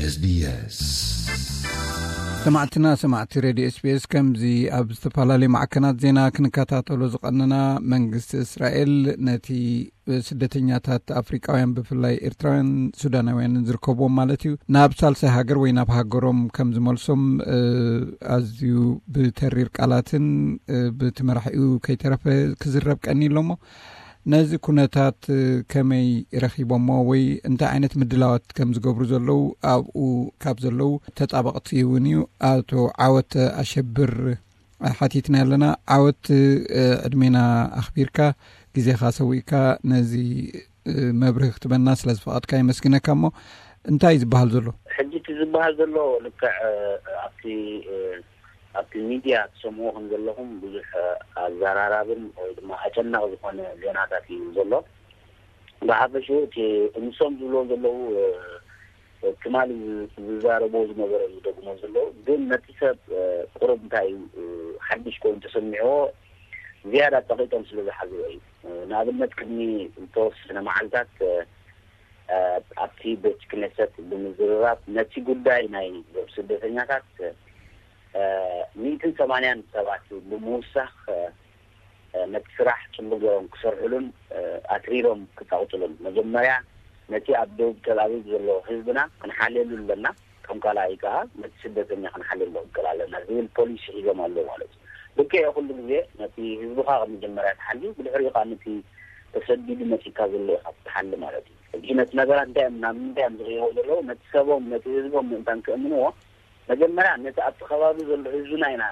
ኤስቢኤስ። ሰማዕትና ሰማዕቲ ሬድዮ ኤስቢኤስ፣ ከምዚ ኣብ ዝተፈላለዩ ማዕከናት ዜና ክንከታተሎ ዝቐነና፣ መንግስቲ እስራኤል ነቲ ስደተኛታት ኣፍሪቃውያን፣ ብፍላይ ኤርትራውያን ሱዳናውያንን ዝርከብዎም ማለት እዩ፣ ናብ ሳልሳይ ሃገር ወይ ናብ ሃገሮም ከም ዝመልሶም፣ እ፣ ኣዝዩ ብተሪር ቃላትን፣ እ፣ ብቲ መራሒኡ ከይተረፈ ክዝረብ ቀኒ ኣሎ እሞ፣ ነዚ ኩነታት፣ እ፣ ከመይ ረኺቦሞ ወይ እንታይ ዓይነት ምድላዋት ከም ዝገብሩ ዘለዉ ኣብኡ ካብ ዘለዉ ተጣበቕቲ እውን እዩ ኣቶ ዓወት ኣሸብር ሓቲትና ኣለና። ዓወት፣ እ፣ ዕድሜና ኣኽቢርካ ግዜኻ ሰዊእካ ነዚ፣ እ፣ መብርሂ ክትበና ስለ ዝፈቐድካ የመስግነካ። እሞ እንታይ እዩ ዝበሃል ዘሎ? ሕጂ እቲ ዝበሃል ዘሎ ልክዕ፣ እ፣ ኣብቲ፣ እ፣ ኣብቲ ሚድያ ትሰምዑ ከም ዘለኹም ብዙሕ፣ እ፣ ኣዘራራብን ወይ ድማ ኣጨናቒ ዝኾነ ዜናታት እዩ ዘሎ። ብሓፈሽኡ እቲ ንሶም ዝብልዎ ዘለዉ፣ እ፣ ትማሊ ዝ-፣ ዝዛረብዎ ዝነበረ እዩ ዝደግሞ ዘለዉ። ግን ነቲ ሰብ፣ እ፣ ቁሩብ እንታይ እዩ፣ እ፣ ሓድሽ ኮይኑ ተሰሚዕዎ ዝያዳ ጸቒጦም ስለ ዝሓዝዎ እዩ። እ፣ ንኣብነት ቅድሚ ዝተወሰነ መዓልታት፣ እ፣ እ፣ ኣብቲ ቤት ክነሰት ብምዝርራብ ነቲ ጉዳይ ናይ ስደተኛታት፣ እ፣ ሚእትን ሰማንያን ሰባት ብምውሳኽ፣ እ፣ ነቲ ስራሕ ጽቡቅ ገይሮም ክሰርሕሉን፣ እ፣ ኣትሪሮም ክጻውጥሉን፣ መጀመርያ ነቲ ኣብ ደቡብ ተል ኣቪቭ ዘሎ ህዝብና ክንሓልየሉ ኣለና፣ ከም ካልኣይ ከኣ ነቲ ስደተኛ ክንሓልየሉ ክንክእል ኣለና ዝብል ፖሊሲ ሒዞም ኣለዉ ማለት እዩ። ልክዕ ኩሉ ግዜ ነቲ ህዝብኻ ከም መጀመርያ ትሓሊ፣ ብድሕሪኡ ከኣ ነቲ ተሰዲዱ መጺካ ዘሎ ኢኻ ትሓሊ ማለት እዩ። ሕጂ ነቲ ነገራት እንታይ እዮም፣ ናብ ምንታይ እዮም ዝቕይርዎ ዘለዉ? ነቲ ሰቦም፣ ነቲ ህዝቦም ምእንታን ክእምንዎ፣ መጀመርያ ነቲ ኣብቲ ከባቢ ዘሎ ህዝብና ኢና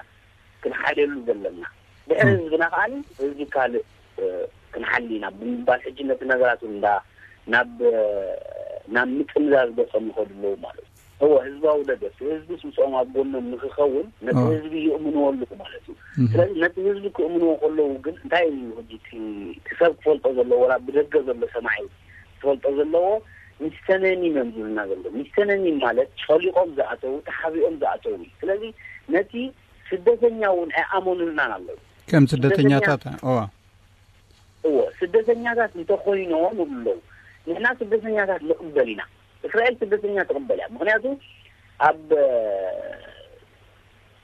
ክንሓልየሉ ዘለና። ድሕሪ ህዝብና ከኣ ህዝቢ ካልእ፣ እ፣ ክንሓሊ ኢና ብምባል ሕጂ ነቲ ነገራት እውን እንዳ-፣ ናብ፣ እ፣ ናብ ምጥምዛዝ ገጾም ይኸዱ ኣለዉ ማለት እዩ። እወ፣ ህዝባዊ ደገፍ፣ ህዝቢ ምስኦም ኣብ ጎኖም ንክኸውን ነቲ ህዝቢ ይእምንዎ ኣለዉ ማለት እዩ። ስለዚ ነቲ ህዝቢ ክእምንዎ ከለዉ ግን እንታይ እዩ ሕጂ እቲ፣ እቲ ሰብ ክፈልጦ ዘለዎ፣ ወላ ብደገ ዘሎ ሰማዒ ክፈልጦ ዘለዎ፣ ሚስተነኒም እዮም ዝብልና ዘሎ። ሚስተነኒም ማለት ጨሊቖም ዝኣተዉ፣ ተሓቢኦም ዝኣተዉ እዩ። ስለዚ ነቲ ስደተኛ እውን ኣይኣመኑልናን ኣለዉ። ከም ስደተኛ-፣ ስደተኛታት፣ እዋ። እዎ፣ ስደተኛታት እንተኾይኖም ይብሉ ኣለዉ። ንሕና ስደተኛታት ንቕበል ኢና። እስራኤል ስደተኛ ትቕበል እያ። ምኽንያቱ ኣብ፣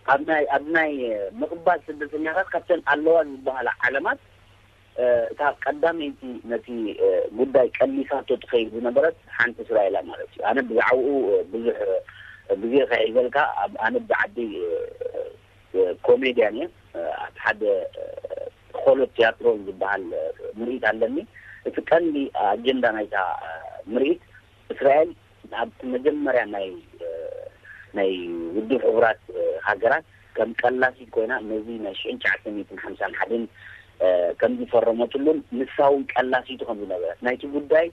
ኣብ ናይ፣ ኣብ ናይ ምቕባል ስደተኛታት ካብተን ኣለዋ ዝበሃላ ዓለማት፣ እ፣ እታ ቀዳመይቲ ነቲ፣ እ፣ ጉዳይ ቀሊሳቶ ትኸይድ ዝነበረት ሓንቲ እስራኤል እያ ማለት እዩ። ኣነ ብዛዕባኡ፣ እ፣ ብዙሕ፣ እ፣ ግዜ ከሒዘልካ፣ ኣብ፣ ኣነ ብዓዲ፣ እ፣ እ፣ ኮሜድያን እየ። እ፣ ኣብ ሓደ፣ እ፣ ኾሎ ቲያትሮን ዝበሃል፣ እ፣ ምርኢት ኣለኒ። እቲ ቀንዲ ኣጀንዳ ናይታ፣ እ፣ ምርኢት እስራኤል ኣብቲ መጀመርያ ናይ፣ እ፣ ናይ ውድብ ሕቡራት፣ እ፣ ሃገራት ከም ቀላሲት ኮይና ነዚ ናይ ሽሕን ትሽዓተ ሚእትን ሓምሳን ሓደን፣ እ፣ ከም ዝፈረመትሉን ንሳ እውን ቀላሲቱ ከም ዝነበረት ናይቲ ጉዳይ፣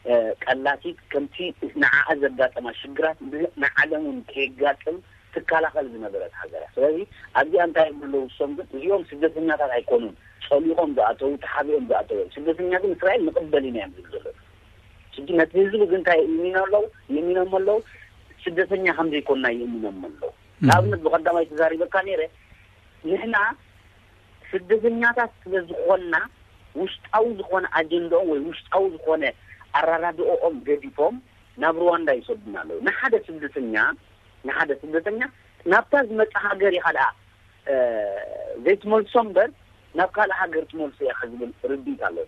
እ፣ ቀላሲት ከምቲ ንዓኣ ዘጋጠማ ሽግራት ን-፣ ንዓለም እውን ከየጋጥም ትከላኸል ዝነበረት ሃገር እያ። ስለዚ ኣብዚኣ እንታይ ይብሉ ኣለዉ ንሶም ግን? እዚኦም ስደተኛታት ኣይኮኑን፣ ጸሊቖም ዝኣተዉ፣ ተሓቢኦም ዝኣተዉ እዮም። ስደተኛ ግን እስራኤል ንቕበል ኢና እዮም ዝብሉ ዘለዉ። ሕጂ ነቲ ህዝቢ ግን እንታይ ይእሚኖ ኣለዉ? ይእሚኖም ኣለዉ፣ ስደተኛ ከም ዘይኮንና ይእሚኖም ኣለዉ። እም። ንኣብነት ብቐዳማይ ተዛሪበካ ነይረ፣ ንሕና ስደተኛታት ስለ ዝኾንና ውሽጣዊ ዝኾነ ኣጀንዳኦም ወይ ውሽጣዊ ዝኾነ ኣረዳድኦኦም ገዲፎም ናብ ሩዋንዳ ይሰዱና ኣለዉ። ንሓደ ስደተኛ፣ ንሓደ ስደተኛ ናብታ ዝመጽእ ሃገር ኢኻ ደኣ፣ እ፣ ዘይትመልሶ እምበር ናብ ካልእ ሃገር ትመልሶ ኢኻ ዝብል ርድኢት ኣለዉ።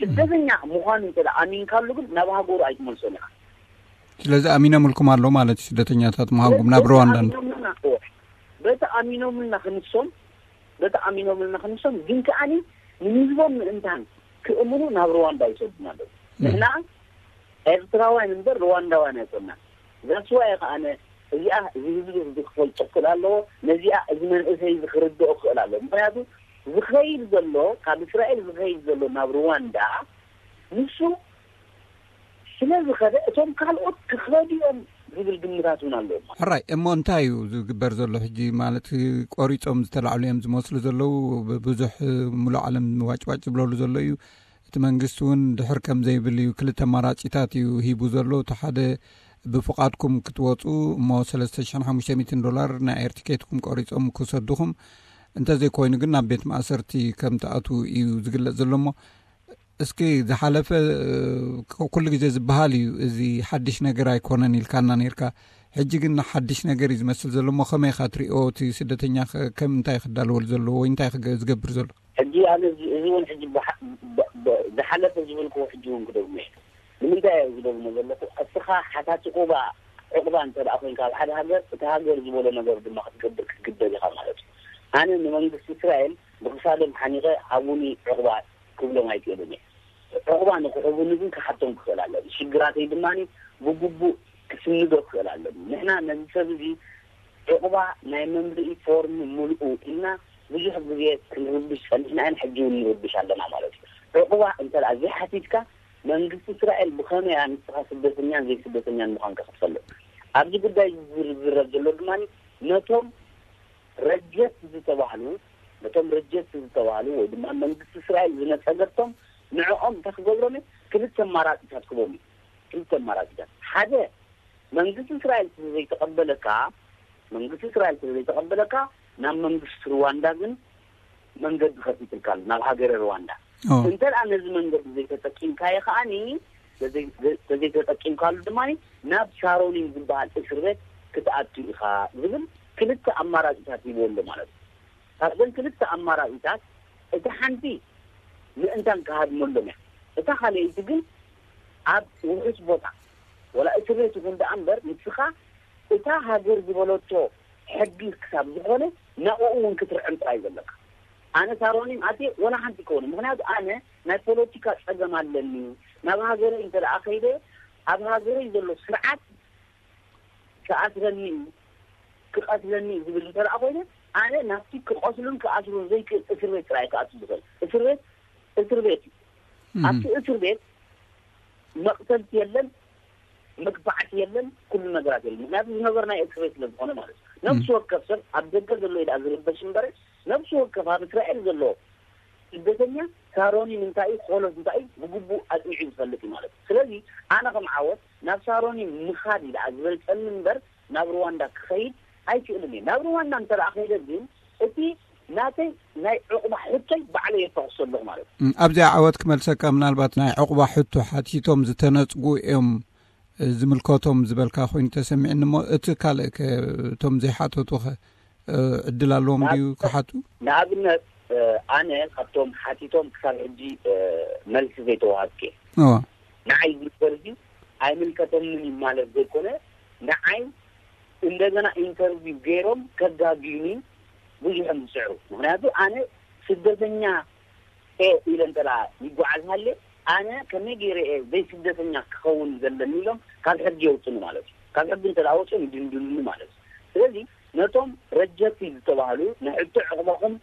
ስደተኛ ምዃኑ እንተ ደኣ ኣሚንካሉ ግን ናብ ሃገሩ ኣይትመልሶን ኢኻ። ስለዚ ኣሚኖምልኩም ኣሎ ማለት እዩ፣ ስደተኛታት ምዃንኩም ናብ ስለዚ ሩዋንዳ። ኣሚኖምልና፣ እወ፣ በቲ ኣሚኖምልና ክንሶም፣ በቲ ኣሚኖምልና ክንሶም ግን ከኣኒ ንህዝቦም ምእንታን ክእምኑ ናብ ሩዋንዳ ይሰዱና ኣለዉ። እም። ንሕና ኤርትራውያን እምበር ሩዋንዳውያን ኣይኮንና። ዛስዋይ ከኣነ እዚኣ እዚ ህዝቢ እዚ ክፈልጦ ክኽእል ኣለዎ፣ ነዚኣ እዚ መንእሰይ እዚ ክርድኦ ክኽእል ኣለዎ። ምኽንያቱ ዝኸይድ ዘሎ፣ ካብ እስራኤል ዝኸይድ ዘሎ ናብ ሩዋንዳ ንሱ ስለ ዝኸደ እቶም ካልኦት ክኸዱ እዮም ዝብል ግምታት እውን ኣለዎም። ሕራይ እሞ እንታይ እዩ ዝግበር ዘሎ ሕጂ? ማለት ቆሪጾም ዝተላዕሉ እዮም ዝመስሉ ዘለዉ። ብ-፣ ብዙሕ ሙሉእ ዓለም ዋጭዋጭ ዝብለሉ ዘሎ እዩ። እቲ መንግስቲ እውን ድሕር ከም ዘይብል እዩ። ክልተ ኣማራጺታት እዩ ሂቡ ዘሎ። እቲ ሓደ ብፍቓድኩም ክትወጹ እሞ ሰለስተ ሽሕን ሓሙሽተ ሚእትን ዶላር ናይ ኤር ቲኬትኩም ቆሪጾም ክሰድኹም። እንተዘይኮይኑ ግን ናብ ቤት ማእሰርቲ ከም ትኣትዉ እዩ ዝግለጽ ዘሎ። እሞ እስኪ ዝሓለፈ ኩሉ ግዜ ዝበሃል እዩ፣ እዚ ሓድሽ ነገር ኣይኮነን ኢልካና ነርካ። ሕጂ ግን ሓድሽ ነገር እዩ ዝመስል ዘሎ እሞ ከመይ ኢኻ ትሪኦ? እቲ ስደተኛ ከም እንታይ ክዳለወሉ ዘለዎ ወይ እንታይ ዝገብር ዘሎ? ሕጂ ኣነ እዚ እውን ሕጂ ዝሓለፈ ዝበልክዎ ሕጂ እውን ክደግሞ እየ። ንምንታይ እየ ዝደግሞ ዘለኹ? እስኻ ሓታቲ ቁባ ዕቑባ እንተ ደኣ ኮይንካ ኣብ ሓደ ሃገር፣ እቲ ሃገር ዝበሎ ነገር ድማ ክትገብር ክትግደድ ኢኻ ማለት እዩ። ኣነ ንመንግስቲ እስራኤል ብክሳዶም ሓኒቐ ሃቡኒ ዕቑባ ክብሎም ኣይክእልን እየ። ዕቑባ ንክሕቡኒ ግን ክሓቶም ክኽእል ኣለኒ። ሽግራተይ ድማ ብግቡእ ክስንዶ ክኽእል ኣለኒ። ንሕና ነዚ ሰብ እዚ ዕቑባ ናይ መምልኢ ፎርም ምልኡ ኢልና ብዙሕ ግዜ ክንርብሽ ጸኒሕና ኢና፣ ሕጂ እውን ንርብሽ ኣለና ማለት እዩ። ዕቑባ እንተ ደኣ ዘይሓቲትካ መንግስቲ እስራኤል ብኸመይ ንስኻ ስደተኛን ዘይስደተኛን ምዃንካ ክትፈልጥ? ኣብዚ ጉዳይ ዝዝረብ ዘሎ ድማ ነቶም ረጀት ዝተባህሉ ነቶም ረጀት ዝተባህሉ ወይ ድማ መንግስቲ እስራኤል ዝነጸገቶም ንዕኦም እንታይ ክገብሮም እዩ? ክልተ ኣማራፂታት ክቦም እዩ። ክልተ ኣማራፂታት። ሓደ መንግስቲ እስራኤል ስለ ዘይተቐበለካ መንግስቲ እስራኤል ስለ ዘይተቐበለካ ናብ መንግስቲ ሩዋንዳ ግን መንገዲ ከፊትልካ ኣሎ፣ ናብ ሃገረ ሩዋንዳ። እንተ ደኣ ነዚ መንገዲ ዘይተጠቂምካዮ ከኣኒ ተዘይተጠቂምካሉ ድማ ናብ ሳሮኒን ዝበሃል እስር ቤት ክትኣቱ ኢኻ ዝብል ክልተ ኣማራፂታት ሂብዎ ኣሎ ማለት እዩ። ካብዘን ክልተ ኣማራፂታት እቲ ሓንቲ ምእንታን ክሃድመሎም እያ። እታ ካልኣይቲ ግን ኣብ ውሑስ ቦታ ወላ እስር ቤት ይኹን ደኣ እምበር ንስኻ እታ ሃገር ዝበለቶ ሕጊ ክሳብ ዝኾነ ናብኡ እውን ክትርዕም ጥራይ ዘለካ። ኣነ ሳሮኒን ኣትየ ወላ ሓንቲ ይከውን፣ ምክንያቱ ኣነ ናይ ፖለቲካ ጸገም ኣለኒ። ናብ ሃገረይ እንተ ደኣ ከይደ ኣብ ሃገረይ ዘሎ ስርዓት ክኣስረኒ እዩ፣ ክቐትለኒ እዩ ዝብል እንተ ደኣ ኮይነ ኣነ ናብቲ ክቐትሉን ክኣስሩን ዘይክእል እስር ቤት ጥራይ ክኣቱ ዝኽእል። እስር ቤት እስር ቤት እዩ። ኣብቲ እስር ቤት መቕተልቲ የለን፣ መግፋዕቲ የለን፣ ኩሉ ነገራት የለን። ምክንያቱ ዝነበር ናይ እስር ቤት ስለ ዝኾነ ማለት እዩ። ነብሲ ወከፍ ሰብ ኣብ ደገ ዘሎ ኢዳ ዝርበሽ እምበር ነብሲ ወከፍ ኣብ እስራኤል ዘሎ ስደተኛ ሳሮኒ እንታይ እዩ፣ ሆሎስ እንታይ እዩ ብግቡእ ኣጽኒዑ ዝፈልጥ እዩ ማለት እዩ። ስለዚ ኣነ ከም ዓወት ናብ ሳሮኒ ምኻድ ኢዳ ዝበልጸኒ እምበር ናብ ሩዋንዳ ክኸይድ ኣይክእልን እየ። ናብ ሩዋንዳ እንተ ደኣ ከይደ ግን እቲ ናተይ ናይ ዕቑባ ሕቶይ ባዕለይ የፋኹሶ ኣለኹ ማለት እዩ። እም፣ ኣብዚኣ ዓወት ክመልሰካ፣ ምናልባት ናይ ዕቑባ ሕቶ ሓቲቶም ዝተነጽጉ እዮም፣ እ፣ ዝምልከቶም ዝበልካ ኮይኑ ተሰሚዕኒ እሞ፣ እቲ ካልእ ከ፣ እቶም ዘይሓተቱ ኸ፣ እ፣ ዕድል ኣለዎም ድዩ ክሓቱ? ንኣብነት፣ እ፣ ኣነ ካብቶም ሓቲቶም ክሳብ ሕጂ፣ እ፣ መልሲ ዘይተዋሃብኩ እየ። እዋ። ንዓይ እዚ ነገር እዚ ኣይምልከተንን እዩ ማለት ዘይኮነ፣ ንዓይ እንደገና ኢንተርቪው ገይሮም ከጋግዩኒ ብዙሕ እዮም ዝጽዕሩ። ምክንያቱ ኣነ ስደተኛ እየ ኢለ እንተ ደኣ ይጓዓዝ ሃልየ፣ ኣነ ከመይ ገይረ እየ ዘይስደተኛ ክኸውን ዘለኒ ኢሎም ካብ ሕጊ የውጽኑ ማለት እዩ። ካብ ሕጊ እንተ ደኣ ወጽዮም ይድንድኑኒ ማለት እዩ። ስለዚ ነቶም ረጀቲ ዝተባህሉ ንሕቶ ዕቑባኹም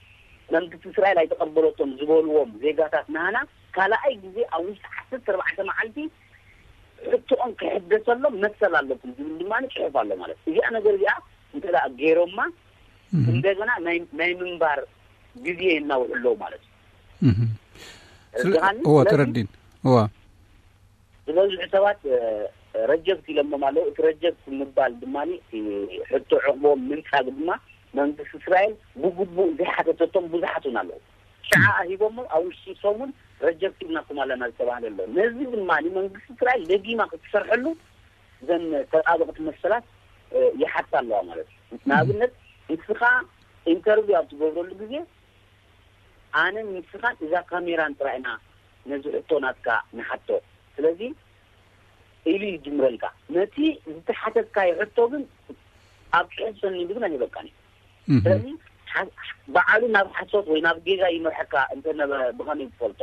መንግስቲ እስራኤል ኣይተቐበለቶም ዝበልዎም ዜጋታት ናህና ካልኣይ ግዜ ኣብ ውሽጢ ዓሰርተ ኣርባዕተ መዓልቲ ሕቶኦም ክሕደሰሎም መሰል ኣለኩም ዝብል ድማ ጽሑፍ ኣሎ ማለት እዩ። እዚኣ ነገር እዚኣ እንተ ደኣ ገይሮማ እም። እንደገና ናይ ናይ ምንባር ግዜ የናውሑ ኣለዉ ማለት እዩ። እም። ስለ-፣ ተረድኻኒ? እወ፣ ስለዚ ተረዲን። እወ። ዝበዝሑ ሰባት፣ እ፣ ረጀክት ኢሎሞም ኣለዉ። እቲ ረጀክት ምባል ድማ፣ እቲ ሕቶ ዕቕቦም ምንጻግ ድማ መንግስቲ እስራኤል ብግቡእ ዘይሓተተቶም ብዙሓት እውን ኣለዉ። ሽዓ ሂቦሞ ኣብ ውሽጢ ሰሙን ረጀክት ኢልናኩም ኣለና ዝተባህለ ኣሎ። ነዚ ድማ መንግስቲ እስራኤል ደጊማ ክትሰርሐሉ እዘን ተጣበቕቲ መሰላት፣ እ፣ ይሓታ ኣለዋ ማለት እዩ። ንኣብነት ንስኻ ኢንተርቪው ኣብ ትገብረሉ ግዜ ኣነን ንስኻን እዛ ካሜራን ጥራይ ኢና ነዚ ሕቶ ናትካ ንሓቶ። ስለዚ ኢሉ ይጅምረልካ። ነቲ ዝተሓተትካዮ ሕቶ ግን ኣብ ጽሑፍ ሰኒዱ ግን ኣይህበካን እዩ። እህ። ስለዚ ሓ-፣ ባዕሉ ናብ ሓሶት ወይ ናብ ጌጋ ይመርሐካ እንተ ነበረ ብኸመይ ትፈልጦ?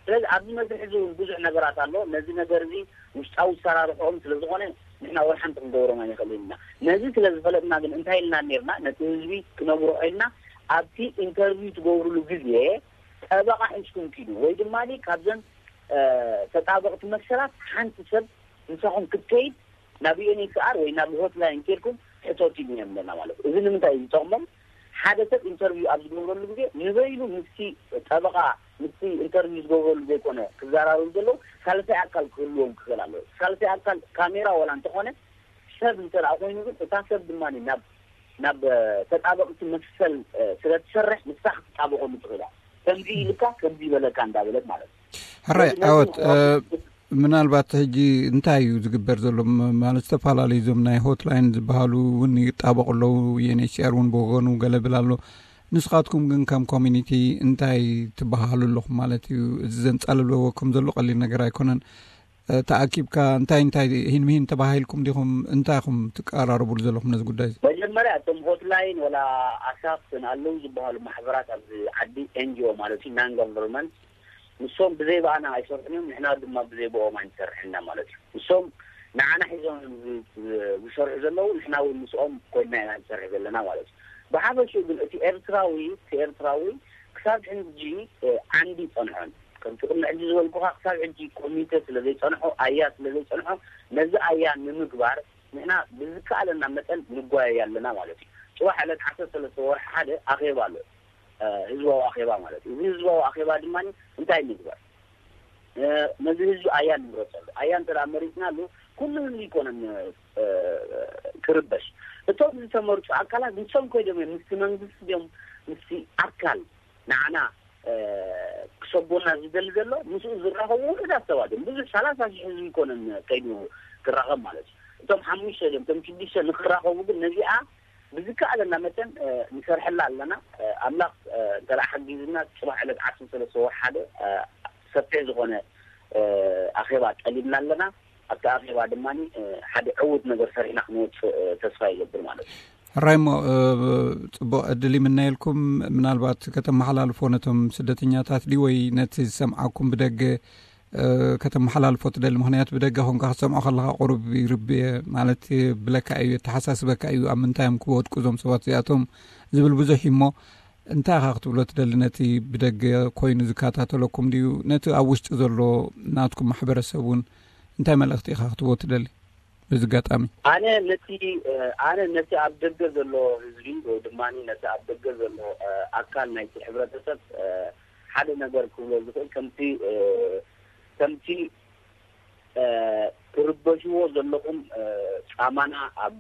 ስለዚ ኣብዚ መስርሕ እዚ እውን ብዙሕ ነገራት ኣሎ። ነዚ ነገር እዚ ውሽጣዊ ኣሰራርሕኦም ስለ ዝኾነ ንሕና ወላ ሓንቲ ክንገብሮም ኣይንኽእልን ኢና። ነዚ ስለ ዝፈለጥና ግን እንታይ ኢልና ነርና? ነቲ ህዝቢ ክነግሮ ኢልና ኣብቲ ኢንተርቪው ትገብሩሉ ግዜ ጠበቓ ሒዝኩም ኪዱ ወይ ድማ ካብዘን፣ እ፣ ተጣበቕቲ መሰላት ሓንቲ ሰብ ምሳኹም ክትከይድ ናብ ዩ ኤን ኤች ሲ ኣር ወይ ናብ ሆትላይን ኬድኩም ሕተቱ ኢልና ኣለና ማለት እዩ። እዚ ንምንታይ እዩ ዝጠቕሞም? ሓደ ሰብ ኢንተርቪው ኣብ ዝገብረሉ ግዜ ንበይኑ ምስቲ ጠበቓ፣ ምስቲ ኢንተርቪው ዝገብረሉ ዘይኮነ ክዘራረቡ ዘለዉ፣ ሳልሳይ ኣካል ክህልዎም ክኽእል ኣለዎ። ሳልሳይ ኣካል ካሜራ ዋላ እንተኾነ ሰብ እንተ ደኣ ኮይኑ ግን እታ ሰብ ድማ ናብ፣ ናብ፣ እ፣ ተጣበቕቲ መሰል፣ እ፣ ስለ ትሰርሕ ንሳ ክትጣበቐሉ ትኽእል እያ። ከምዚ ኢልካ፣ ከምዚ ይበለካ እንዳበለት ማለት እዩ። ሕራይ ዓወት። ምናልባት ሕጂ እንታይ እዩ ዝግበር ዘሎ? ማለት ዝተፈላለዩ እዞም ናይ ሆትላይን ዝበሃሉ እውን ይጣበቑ ኣለዉ። ዩኤንኤችሲኣር እውን ብወገኑ ገለ ብል ኣሎ። ንስኻትኩም ግን ከም ኮሚኒቲ እንታይ ትበሃሉ ኣለኹም ማለት እዩ? እዚ ዘንጻልለዎ ከም ዘሎ ቀሊል ነገር ኣይኮነን። ተኣኪብካ እንታይ እንታይ ሂን ምሂን ተባሂልኩም ዲኹም? እንታይ ኢኹም ትቀራረቡሉ ዘለኹም ነዚ ጉዳይ እዚ? መጀመርያ እቶም ሆትላይን ወላ ኣሳፍ ኣለዉ ዝበሃሉ ማሕበራት ኣብዚ ዓዲ፣ ኤንጂኦ ማለት እዩ፣ ናን ጋቨርንመንት፣ ንሶም ብዘይ ብኣና ኣይሰርሑን እዮም፣ ንሕና ድማ ብዘይ ብኦም ኣይንሰርሕን ኢና ማለት እዩ። ንሶም ንዓና ሒዞም እዮም ዝ- ዝ- ዝሰርሑ ዘለዉ፣ ንሕና እውን ምስኦም ኮይንና ኢና ንሰርሕ ዘለና ማለት እዩ። ብሓፈሽኡ ግን እቲ ኤርትራዊ እቲ ኤርትራዊ ክሳብ ሕጂ ዓንዲ ይጸንሖን ከምቲ ቅድሚ ሕጂ ዝበልኩኻ ክሳብ ሕጂ ኮሚተ ስለ ዘይጸንሖ ኣያ ስለ ዘይጸንሖ ነዚ ኣያ ንምግባር ንሕና ብዝከኣለና መጠን ንጓየይ ኣለና ማለት እዩ። ጽባሕ ዕለት ዓሰርተ ሰለስተ ወርሒ ሓደ ኣኼባ ኣሎ፣ ህዝባዊ ኣኼባ ማለት እዩ። እዚ ህዝባዊ ኣኼባ ድማ እንታይ ንግበር? ነዚ ህዝቢ ኣያ ንምረፀሉ። ኣያ እንተ መሪፅናሉ ኩሉ ህዝቢ ይኮነን ክርበሽ። እቶም ዝተመርፁ ኣካላት ንሶም ኮይዶም እዮም ምስቲ መንግስቲ ድዮም ምስቲ ኣካል ንዓና ክሰጎና ዝደሊ ዘሎ ምስኡ ዝራኸቡ ውሑዳት ሰባት እዮም። ብዙሕ ሰላሳ ሺሕ ህዝቢ ይኮነን ከይዱ ክራኸብ ማለት እዩ። እቶም ሓሙሽተ ድዮም እቶም ሽዱሽተ ንክራኸቡ ግን ነዚኣ ብዝከኣለና መጠን ንሰርሐላ ኣለና። ኣምላኽ እንተ ሓጊዝና ፅባሕ ዕለት ዓሰርተ ሰለስተ ወርሒ ሓደ ሰፊሕ ዝኾነ ኣኼባ ጠሊብና ኣለና። ኣብቲ ኣኼባ ድማ ሓደ ዕዉት ነገር ሰሪሕና ክንወፅእ ተስፋ ይገብር ማለት እዩ። ሕራይ እሞ ፅቡቕ ዕድል ይምነየልኩም። ምናልባት ከተመሓላልፎ ነቶም ስደተኛታት ድዩ ወይ ነቲ ዝሰምዓኩም ብደገ ከተመሓላልፎ ትደሊ? ምክንያቱ ብደገ ኮንካ ክትሰምዖ ከለካ ቁሩብ ይርብየ ማለት ብለካ እዩ፣ የተሓሳስበካ እዩ። ኣብ ምንታይ እዮም ክወድቁ እዞም ሰባት እዚኣቶም ዝብል ብዙሕ እዩ። እሞ እንታይ ኢኻ ክትብሎ ትደሊ ነቲ ብደገ ኮይኑ ዝከታተለኩም ድዩ ነቲ ኣብ ውሽጢ ዘሎ ናትኩም ማሕበረሰብ እውን እንታይ መልእኽቲ ኢኻ ክትቦ ትደሊ? በዚ ኣጋጣሚ ኣነ ነቲ ኣነ ነቲ ኣብ ደገ ዘሎ ህዝቢ ወይ ድማ ነቲ ኣብ ደገ ዘሎ ኣካል ናይቲ ሕብረተሰብ ሓደ ነገር ክብሎ ዝኽእል ከምቲ ከምቲ ትርበሽዎ ዘለኹም ጻማና ኣብ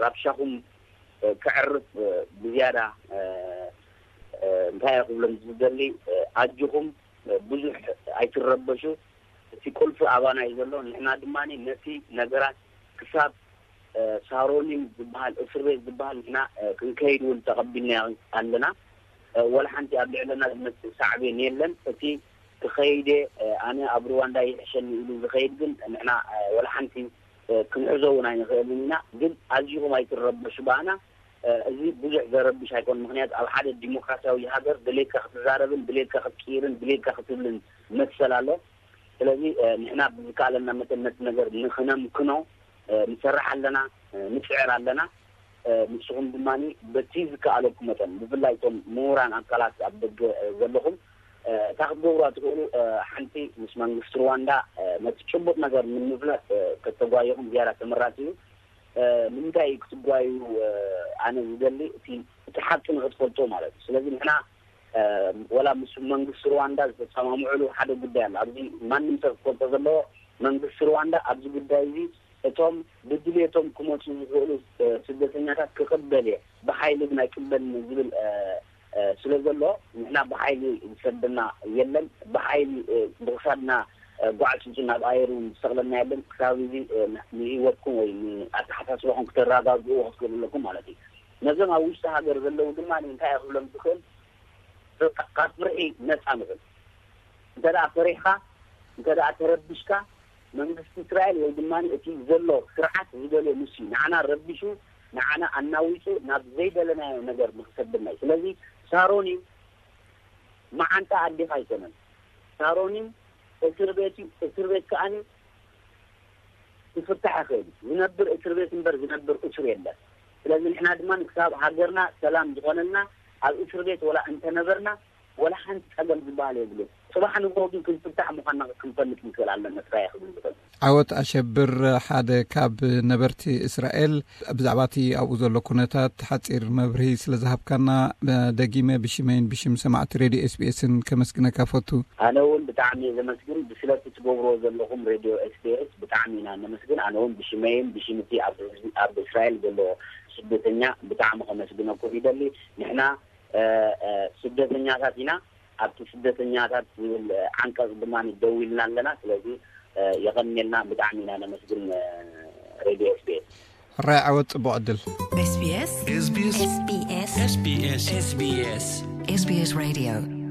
ራብሻኹም ክዕርፍ ብዝያዳ እንታይ ክብሎም ዝደሊ ኣጆኹም ብዙሕ ኣይትረበሹ። እቲ ቁልፊ ኣባና እዩ ዘሎ። ንሕና ድማ ነቲ ነገራት ክሳብ ሳሮኒም ዝበሃል እስር ቤት ዝበሃል ንሕና ክንከይድ እውን ተቐቢልና ኣለና። ወላ ሓንቲ ኣብ ልዕለና ዝመፅእ ሳዕቤን የለን። እቲ ክኸይደ ኣነ ኣብ ሩዋንዳ ይሕሸኒ ኢሉ ዝኸይድ ግን ንሕና ወላ ሓንቲ ክንሕዞ እውን ኣይንኽእልን ኢና። ግን ኣዚኹም ኣይትረበሹ ባና። እዚ ብዙሕ ዘረብሽ ኣይኮን። ምክንያቱ ኣብ ሓደ ዲሞክራሲያዊ ሃገር ድሌትካ ክትዛረብን ድሌትካ ክትቅይርን ድሌትካ ክትብልን መሰል ኣሎ። ስለዚ ንሕና ብዝከኣለና መጠን ነቲ ነገር ንክነምክኖ ንሰርሕ ኣለና፣ ንፅዕር ኣለና። ንስኹም ድማ በቲ ዝከኣለኩም መጠን ብፍላይ እቶም ምሁራን ኣካላት ኣብ ደገ ዘለኹም እታ ክትገብሩዋ ትኽእሉ ሓንቲ ምስ መንግስቲ ሩዋንዳ ነቲ ጭቡጥ ነገር ንምፍላጥ ከተጓየኹም ዝያዳ ተመራፂ እዩ። ንምንታይ ክትጓዩ ኣነ ዝደሊ እቲ እቲ ሓቂ ንክትፈልጦ ማለት እዩ። ስለዚ ንሕና ወላ ምስ መንግስቲ ሩዋንዳ ዝተሰማምዕሉ ሓደ ጉዳይ ኣሎ። ኣብዚ ማንም ሰብ ክፈልጦ ዘለዎ መንግስቲ ሩዋንዳ ኣብዚ ጉዳይ እዚ እቶም ብድሌቶም ክመፁ ዝኽእሉ ስደተኛታት ክቕበል እየ፣ ብሓይሊ ግን ኣይቅበልን ዝብል ስለ ዘሎ ንሕና ብሓይሊ ዝሰደና የለን። ብሓይሊ ብክሳድና ጓዕጭጭ ናብ ኣየር እውን ዝሰቕለና የለን። ክሳብ እዚ ንህይወትኩም ወይ ንኣተሓሳስባኹም ክተረጋግእዎ ክትክእሉ ኣለኩም ማለት እዩ። ነዞም ኣብ ውሽጢ ሃገር ዘለዉ ድማ እንታይ ክብሎም ዝኽእል ካብ ፍርሒ ነፃ ንኽእል እንተ ደኣ ፈሪሕካ እንተ ደኣ ተረቢሽካ መንግስቲ እስራኤል ወይ ድማ እቲ ዘሎ ስርዓት ዝደልዮ ንሱ እዩ። ንዓና ረቢሹ ንዓና ኣናዊፁ ናብ ዘይደለናዮ ነገር ንክሰድና እዩ። ስለዚ ሳሮን እዩ መዓንጣ ኣዴኻ ኣይኮነን። ሳሮን እዩ እስር ቤት እዩ። እስር ቤት ከኣ ክፍታሕ ይኽእል እዩ። ዝነብር እስር ቤት እምበር ዝነብር እሱር የለን። ስለዚ ንሕና ድማ ክሳብ ሃገርና ሰላም ዝኾነልና ኣብ እስር ቤት ወላ እንተነበርና ወላ ሓንቲ ጸገም ዝበሃል የብሉን። ጽባሕ ንግሆ ግን ክንፍታሕ ምዃንና ክንፈልጥ ንክእል ኣለና። ጥራይ ክብል ዝኽእል። ዓወት ኣሸብር ሓደ ካብ ነበርቲ እስራኤል ብዛዕባ እቲ ኣብኡ ዘሎ ኩነታት ሓጺር መብርሂ ስለ ዝሃብካና ደጊመ ብሽመይን ብሽም ሰማዕቲ ሬድዮ ኤስቢኤስን ከመስግነካ ፈቱ። ኣነ እውን ብጣዕሚ እየ ዘመስግን ብስለቲ ትገብርዎ ዘለኹም ሬድዮ ኤስቢኤስ ብጣዕሚ ኢና ነመስግን። ኣነ እውን ብሽመይን ብሽምቲ ኣብ እስራኤል ዘሎ ስደተኛ ብጣዕሚ ከመስግነኩም ይደሊ። ንሕና ስደተኛታት ኢና። ኣብቲ ስደተኛታት ዝብል ዓንቀጽ ድማ ደው ኢልና ኣለና። ስለዚ የቐንየልና፣ ብጣዕሚ ኢና ነመስግን ሬድዮ ኤስቢኤስ። ራይ ዓወት፣ ጽቡቕ ዕድል። SBS SBS SBS SBS SBS Radio